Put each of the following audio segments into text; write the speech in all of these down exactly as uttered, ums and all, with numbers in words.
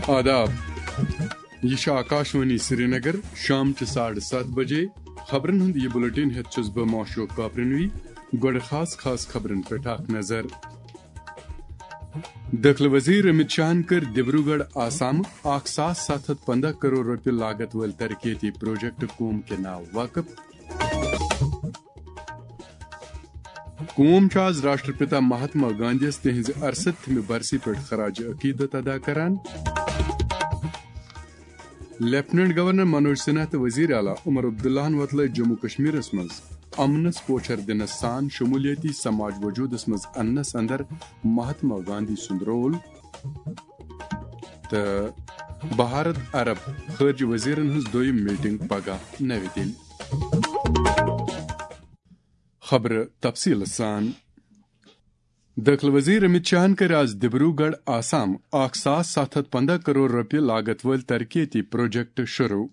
آداب۔ یہِ چھِ آکاشوانی سرینگر۔ شام چہِ ساڑٕ ستھ بجے خبرن ہُنٛد یہِ بُلٹن ہٮ۪تھ چھُس بہٕ معشوق کاپرنوی۔ گۄڈٕ خاص خاص خبرن پٮ۪ٹھ اکھ نظر۔ دٲخلہٕ وزیر امت شاہن کٔر ڈبروگڑھ آسام اکھ ساس ستھ ہتھ پنٛداہ کرور رۄپیہِ لاگت وٲلۍ ترقیتی پروجیکٹ قوم کے ناو وقف۔ قوم چھُ آز راشٹرپتا مہاتما گاندھیَس تِہنٛزِ ارستھمہِ برسی پٮ۪ٹھ خراج عقیدت ادا کران۔ لیفٹیننٹ گورنر منوج سنہا تہٕ وزیر اعلیٰ عمر عبداللہَن وۄتلٲے جموں کشمیرس منٛز امنس پوچھر دِنس سان شمولیتی سماج وجودس منٛز اننس اندر مہاتما گاندھی سُنٛد رول۔ تہٕ بھارت عرب خارجہ وزیرن ہٕنٛز دوٚیِم میٹنگ پگاہ نَوِ دِلہِ۔ خبرٕ تفصیٖل سان۔ دٲخلہٕ وزیر امت شاہن کٔر آز ڈبروگڑھ آسام اکھ ساس ستھ ہتھ پنٛداہ کرور رۄپیہِ لاگت وٲلۍ ترقیتی پروجیکٹ شروع۔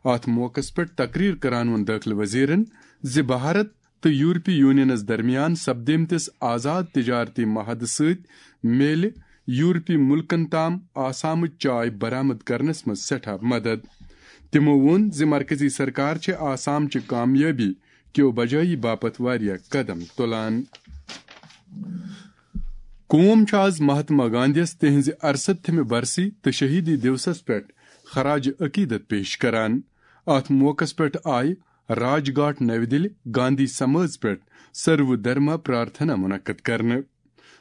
اتھ موقعس پٮ۪ٹھ تقریر کران ووٚن دٲخلہٕ وزیرن زِ بھارت تہٕ یورپی یونینس درمیان سپدیمتِس آزاد تجارتی معاہدٕ سۭتۍ میلہِ یورپی مُلکن تام آسامٕچ چاے برآمد کرنس منٛز سٮ۪ٹھاہ مدد۔ تِمو ووٚن زِ مرکزی سرکار چھِ آسام چہِ کامیٲبی کیو بجٲیی باپتھ واریاہ قدم تُلان۔ قوم چھُ آز مہاتما گاندھیَس تِہنٛزِ ارستھمہِ برسی تہٕ شہیدی دیوسس پٮ۪ٹھ خراج عقیدت پیش کران۔ اتھ موقعس پٮ۪ٹھ آیہِ راج گھاٹ نَوِ دِلہِ گاندھی سمٲژ پٮ۪ٹھ سرو دھرما پرارتھنا منعقد کرنہٕ۔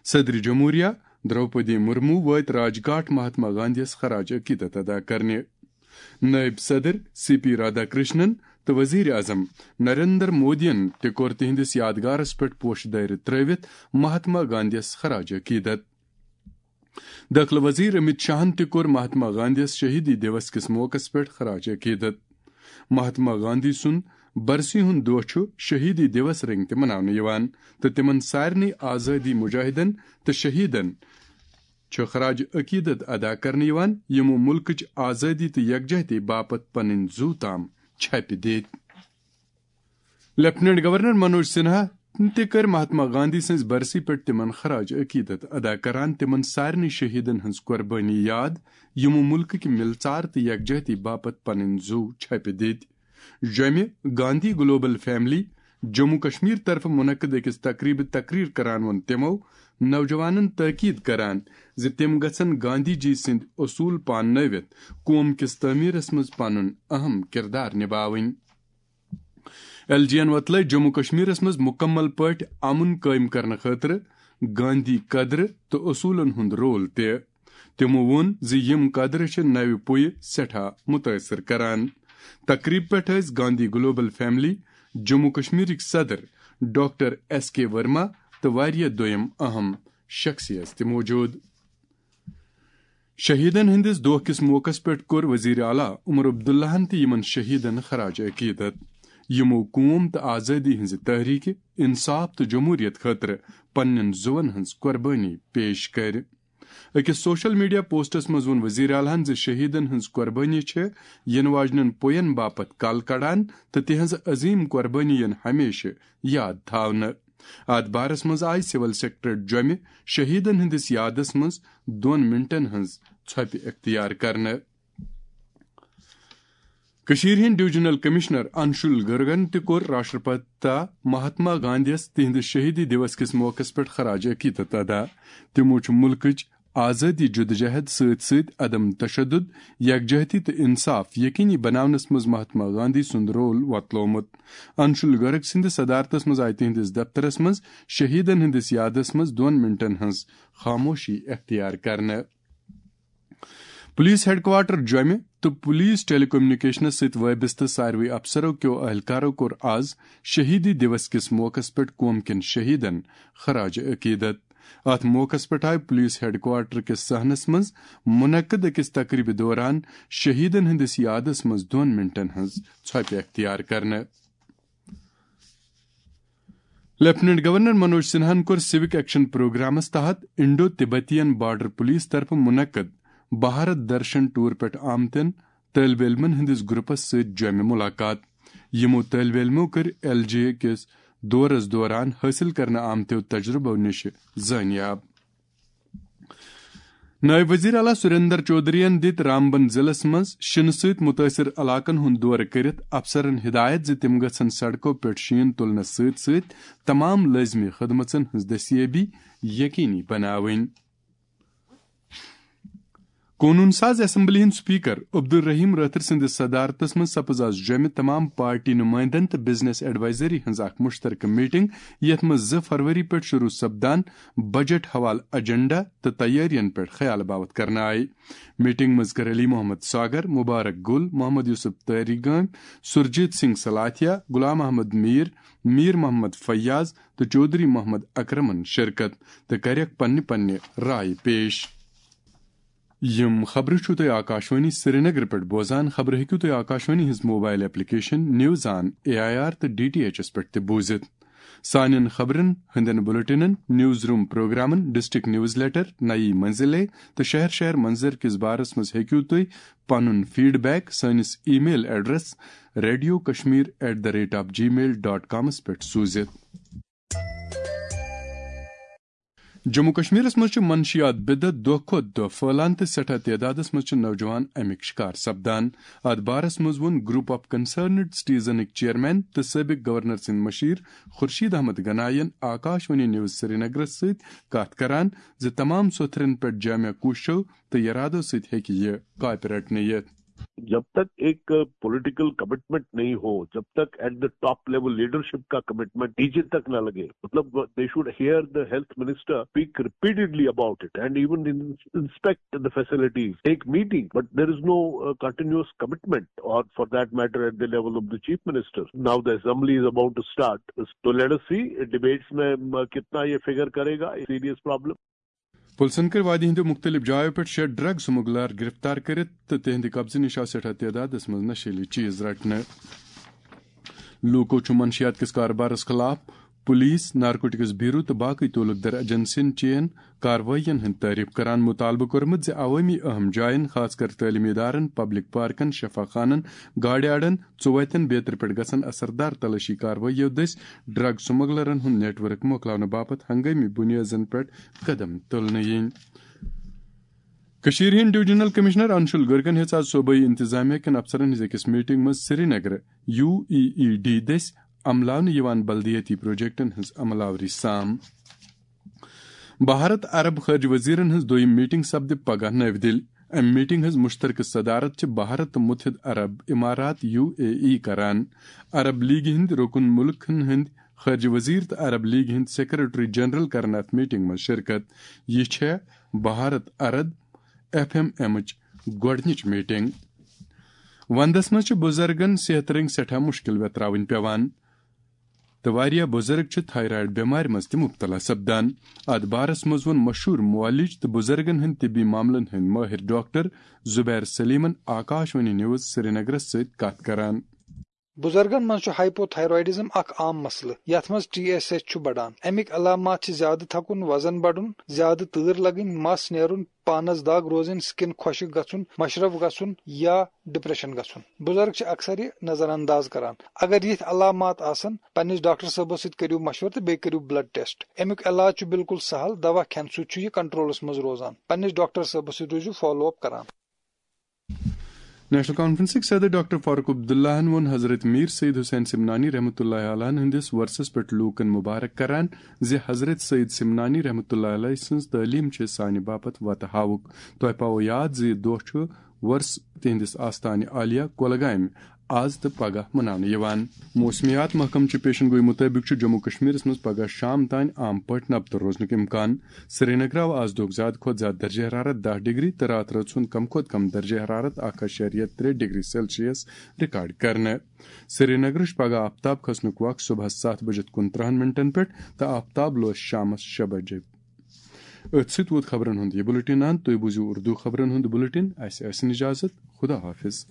صدر جمہوریہ دروپدی مرمو وٲتۍ راج گھاٹ مہاتما گاندھیَس خراج عقیدت ادا کرنہِ۔ نائب صدر سی پی رادھا کرشنن تہٕ وزیر اعظم نریندر مودیَن تہِ کوٚر تِہنٛدِس یادگارس پٮ۪ٹھ پوشہٕ دٲرِتھ ترٲوِتھ مہاتما گاندھیَس خراج عقیدت۔ دٲخلہٕ وزیر امت شاہن تہِ کوٚر مہاتما گاندھیَس شہیدی دیوس کِس موقعس پٮ۪ٹھ خراج عقیدت۔ مہاتما گاندھی سُنٛد برسی ہُنٛد دۄہ چھُ شہیدی دیوس رنگۍ تہِ مناونہٕ یِوان تہٕ تِمن سارنٕے آزٲدی مجاہدن تہٕ شہیدن چھُ خراج عقیدت ادا کرنہٕ یِوان، یِمو مُلکٕچ آزٲدی تہٕ یکجہتی باپتھ پنٕنۍ زُو تام چھپہِ دِتۍ۔ لیفٹیننٹ گورنر منوج سنہا تہِ کٔر مہاتما گاندھی سٕنٛز برسی پٮ۪ٹھ تِمن خراج عقیدت ادا کران تِمن سارنٕے شہیدن ہٕنٛز قربٲنی یاد، یِمو مُلکٕکۍ مِلژار تہٕ یکجہتی باپتھ پنٕنۍ زُو چھپہِ دِتۍ۔ جوٚمہِ گاندھی گلوبل فیملی جموں کشمیر طرفہٕ منعقد أکِس تقریبہِ تقریر کران ووٚن تِمو نوجوانن تاکید کران زِ تِم گژھن گاندھی جی سٕنٛدۍ اصوٗل پاننٲوِتھ قوم کِس تعمیرس منٛز پنُن اہم کردار نباوٕنۍ۔ ایل جی یَن وۄتلٲے جموں کشمیرس منٛز مکمل پٲٹھۍ امن قٲیِم کرنہٕ خٲطرٕ گاندھی قدرٕ تہٕ اصوٗلن ہُنٛد رول تہِ۔ تِمو ووٚن زِ یِم قدرٕ چھِ نوِ پُیہِ سٮ۪ٹھاہ مُتٲثِر کران۔ تقریٖب پٮ۪ٹھ ٲسۍ گاندھی گلوبل فیملی جموں کشمیرٕکۍ صدر ڈاکٹر ایس کے ورما تہٕ واریاہ دوٚیِم اہم شخصیت تہِ موجود۔ شہیدن ہٕنٛدِس دۄہ کِس موقعس پٮ۪ٹھ کوٚر وزیر اعلیٰ عمر عبداللہَن تہِ یِمن شہیدن خراج عقیدت، یِمو قوم تہٕ آزٲدی ہٕنٛزِ تحریکہِ، انصاف تہٕ جمہوریت خٲطرٕ پننٮ۪ن زُوَن ہٕنٛز قربٲنی پیش کٔر۔ أکِس سوشل میڈیا پوسٹس منٛز ووٚن وزیر اعلیٰ ہَن زِ شہیدن ہٕنٛز قربٲنی چھِ یِنہٕ واجنٮ۪ن پوین باپتھ کل کڑان تہٕ تِہنٛز عظیم قربٲنی یِن ہمیشہٕ یاد تھاونہٕ۔ اتھ بارس منٛز آیہِ سول سیکرٹریٹ جوٚمہِ شہیدن ہٕنٛدِس یادس منٛز دۄن منٹن ہٕنٛز ژھۄپہِ اختیار کرنہٕ۔ کٔشیٖرِ ہٕنٛدۍ ڈویژنل کمشنر انشول گرگن تہِ کوٚر راشٹرپتا مہاتما گاندھیَس تِہنٛدِس شہیدی دیوس کِس موقعس پٮ۪ٹھ خراج عقیدت ادا۔ تِمو چھُ مُلکٕچ آزٲدی جدوجہد سۭتۍ سۭتۍ عدم تشدد، یکجہتی تہٕ انصاف یقینی بناونس منٛز مہاتما گاندھی سُنٛد رول وۄتلومُت۔ انشول گرگ سٕنٛدِس صدارتس منٛز آیہِ تِہنٛدِس دفترس منٛز شہیدن ہٕنٛدِس یادس منٛز دۄن منٹن ہٕنٛز خاموشی اختیار کرنہٕ۔ پولیس ہیڈ کوارٹر جوٚمہِ تہٕ پولیس ٹیلی کمیونیکیشنس سۭتۍ وابستہٕ ساروٕے افسرو کیو اہلکارو کوٚر آز شہیدی دیوس کِس موقعس پٮ۪ٹھ قوم کٮ۪ن شہیدن خراج عقیدت۔ اتھ موقعس پٮ۪ٹھ آیہِ پولیس ہیڈ کوارٹر کِس صحنس منٛز منعقد أکِس تقریبہِ دوران شہیدن ہٕنٛدِس یادس منٛز دۄن منٹن ہٕنٛز ژھۄپہِ اختیار کرنہٕ۔ لیفٹیننٹ گورنر منوج سنہاہن کوٚر سیوک ایکشن پروگرامس تحت انڈو تبتین بارڈر پولیس طرفہٕ منعقد بھارت درشن ٹور پٮ۪ٹھ آمتٮ۪ن طٲلبہِ علمن ہٕنٛدِس گروپس سۭتۍ جوٚمہِ ملاقات۔ یِمو طٲلبہِ علمو کٔرۍ ایل جے کِس دورس دوران حٲصِل کرنہٕ آمتیو تجرُبو نِش زٲنیاب۔ نٲیِب وزیر اعلیٰ سریندر چودھرین دِتۍ رامبن ضلعس منٛز شِنہٕ سۭتۍ مُتٲثِر علاقن ہُنٛد دورٕ کٔرِتھ افسرن ہدایت زِ تِم گژھن سڑکو پٮ۪ٹھ شیٖن تُلنس سۭتۍ سۭتۍ تمام لٲزمی خدمژن ہٕنٛز دستیٲبی یقینی بناوٕنۍ۔ قونوٗن ساز اسمبلی ہٕنٛدۍ سپیکر عبدالرحیم رٲتھر سٕنٛدِس صدارتس منٛز سپٕز آز جوٚمہِ تمام پارٹی نُمٲیندن تہٕ بزنس ایڈوائزری ہٕنٛز اکھ مشترکہٕ میٹنگ، یتھ منٛز زٕ فروری پٮ۪ٹھ شروع سپدان بجٹ حوالہٕ ایجنڈا تہٕ تیٲرین پٮ۪ٹھ خیال باوت کرنہٕ آیہِ۔ میٹنگ منٛز کٔر علی محمد ساگر، مبارک گل، محمد یوسف تاری گٲمۍ، سرجیت سنگھ سلاتھیا، غلام احمد میر، میر محمد فیاض تہٕ چودھری محمد اکرمن شرکت تہٕ کریکھ پننہِ پننہِ رائے پیش۔ یِم خبرٕ چھِو تُہۍ آکاشوانی سرینگر پٮ۪ٹھ بوزان۔ خبرٕ ہیٚکِو تُہۍ آکاشوانی ہٕنٛز mobile application news on A I R تہٕ ڈی ٹی ایچ ایس پٮ۪ٹھ تہِ بوٗزِتھ۔ سانٮ۪ن خبرن ہٕنٛدٮ۪ن بُلٹنن، نیوز روم پروگرامن، ڈسٹرکٹ نیوز لیٹر، نئی منزلے تہٕ شہر شہر منظر کِس بارس منٛز ہیٚکِو تُہۍ پنُن فیڈ بیک سٲنِس email address radio Kashmir at the rate of Gmail dot کامس پٮ۪ٹھ سوٗزِتھ۔ جموں کشمیرس منٛز چھِ منشیات بدعت دۄہ کھۄتہٕ دۄہ پھٔہلان تہٕ سٮ۪ٹھاہ تعدادس منٛز چھِ نوجوان اَمِکۍ شکار سپدان۔ اتھ بارس منٛز ووٚن گروپ آف کنسرنڈ سٹیزنٕکۍ چیئرمین تہٕ سٲبق گورنر سٕنٛدۍ مشیر خورشید احمد گناین آکاشوانی نیوز سرینگرس سۭتۍ کتھ کران زِ تمام سوٚتھرن پٮ۪ٹھ جامع کوٗششو تہٕ یرادو سۭتۍ ہیٚکہِ یہِ کاپہِ رٹنہٕ یِتھ۔ جب تک ایک پولیٹیکل کمٹمنٹ نہیں ہو، جب تک at the top level leadership کا کمٹمنٹ نیچے تک نہ لگے، مطلب، they should hear the health minister speak repeatedly about it and even inspect the facilities, take meeting, but there is no continuous commitment, or for that matter at the level of the chief minister. Now the assembly is about to start, so let us see debates میں کتنا یہ figure کرے گا، serious problem. پُلسن کٔرۍ وادی ہٕنٛدیو مُختٔلِف جایو پٮ۪ٹھ شےٚ ڈرگ سمگلر گرفتار کٔرِتھ تہٕ تِہنٛدِ قبضہٕ نِش آو سٮ۪ٹھاہ تعدادس منٛز نشیلی چیز رٹنہٕ۔ لوٗکو چھُ منشیات کِس کارٕبارس خٕلاف پُلیٖس، نارکوٹکس بیورو تہٕ باقٕے تعلق دار ایجنسین چین کاروٲیین ہٕنٛدۍ تعریف کران مُطالبہٕ کوٚرمُت زِ عوٲمی اہم جاین، خاص کر تعلیمی ادارن، پبلک پارکن، شفا خانن، گاڑِ اڈن، ژُوتٮ۪ن بیترِ پٮ۪ٹھ گژھن اثردار تلٲشی کاروٲییو دٔسۍ ڈرگ سمگلرن ہُنٛد نیٹ ورک مۄکلاونہٕ باپتھ ہنگٲمی بُنیٲدن پٮ۪ٹھ قدم تُلنہٕ یِنۍ۔ کٔشیٖرِ ہٕنٛدۍ ڈویژنل کمشنر انشول گرگن ہیٚژ آز صوبٲئی انتظامیہ کٮ۪ن افسرن ہٕنٛز أکِس میٹنگ منٛز سرینگرٕ یو ای ای ڈی دٔسۍ عملاونہٕ یِوان بلدیٲتی پروجیکٹن ہٕنٛز عملاوری سام۔ بھارت عرب خارجہ وزیرن ہٕنٛز دوٚیِم میٹنگ سپدِ پگاہ نَوِ دِلہِ۔ امہِ میٹنگ ہٕنٛز مشترکہٕ صدارت چھِ بھارت تہٕ متحد عرب امارات، یو اے ای، کران۔ عرب لیگہِ ہٕنٛدۍ رکن ملکن ہٕنٛدۍ خارجہ وزیر تہٕ عرب لیگہِ ہٕنٛدۍ سیکرٹری جنرل کرن اتھ میٹنگ منٛز شرکت۔ یہِ چھےٚ بھارت عرب ایف ایم ایمٕچ گۄڈٕنِچ میٹنگ۔ وندس منٛز چھِ بُزرگن صحت رٔنگۍ سٮ۪ٹھاہ مُشکِل ویتراوٕنۍ پٮ۪وان تہٕ واریاہ بُزرگ چھِ تھایرایڈ بٮ۪مارِ منٛز تہِ مُبتلا سپدان۔ اتھ بارس منٛز ووٚن مشہوٗر معالج تہٕ بُزرگن ہٕنٛدۍ طبی معاملن ہٕنٛدۍ مٲہِر ڈاکٹر زبیر سلیمن آکاشوانی نیوز سرینگرس سۭتۍ کتھ کران۔ بُزرگن منٛز چھُ ہائپوتھائرائیڈزم اکھ عام مسلہٕ، یتھ منٛز ٹی ایس ایچ چھُ بڑان۔ امیِکۍ علامات چھِ زیادٕ تھکُن، وزن بڑُن، زیادٕ تۭر لگٕنۍ، مس نیرُن، پانس دگ روزٕنۍ، سکن خۄشک گژھُن، مشرف گژھُن یا ڈپریشن گژھُن۔ بُزرگ چھِ اکثر یہِ نظر انداز کران۔ اگر یِتھۍ علامات آسن، پننِس ڈاکٹر صٲبس سۭتۍ کٔرِو مشورٕ تہٕ بیٚیہِ کٔرِو بلڈ ٹیسٹ۔ امیُک علاج چھُ بالکل سہل، دوا کھٮ۪نہٕ سۭتۍ چھُ یہِ کنٹرولس منٛز روزان۔ پننِس ڈاکٹر صٲبس سۭتۍ روٗزِو فالو اپ کران۔ نیشنل کانفرنسٕکۍ صدر ڈاکٹر فاروق عبداللہن ووٚن حضرت میر سید حسین سمنانی رحمتہ اللہ علیہ ہٕنٛدِس وۄرثس پٮ۪ٹھ لوٗکن مبارک کران زِ حضرت سید سمنانی رحمتہ اللہ علیہ سٕنٛز تعلیٖم چھِ سانہِ باپتھ وتہٕ ہاوُک۔ تۄہہِ پاوو یاد زِ یہِ دۄہ چھُ وۄرث تِہنٛدِس آستانہِ عالیہ کۄلگامہِ آز تہٕ پگاہ مناونہٕ یِوان۔ موسمیات محکمہٕ چہِ پیشن گویی مُطٲبِق چھُ جموں کشمیرس منٛز پگاہ شام تام عام پٲٹھۍ نبتہٕ روزنُک امکان۔ سرینگر آو آز دۄہُک زیادٕ کھۄتہٕ زیادٕ درجہ حرارت دَہ ڈگری تہٕ راتھ رٲژ ہُنٛد کم کھۄتہٕ کم درجہ حرارت اکھ اَشاریہ ترٛےٚ ڈگری سیلسیس ریکارڈ کرنہٕ۔ سرینگرٕچ پگاہ آفتاب کھسنُک وق صبحس ستھ بجِتھ کُنترٕہن منٹن پٮ۪ٹھ تہٕ آفتاب لوس شامس شےٚ بجے۔ أتھۍ سۭتۍ ووت خبرن ہُنٛد یہِ بُلٹن اند۔ تُہۍ بوٗزِو اردو خبرن ہُنٛد بُلٹن۔ اسہِ ٲسِن اجازت۔ خدا حافظ۔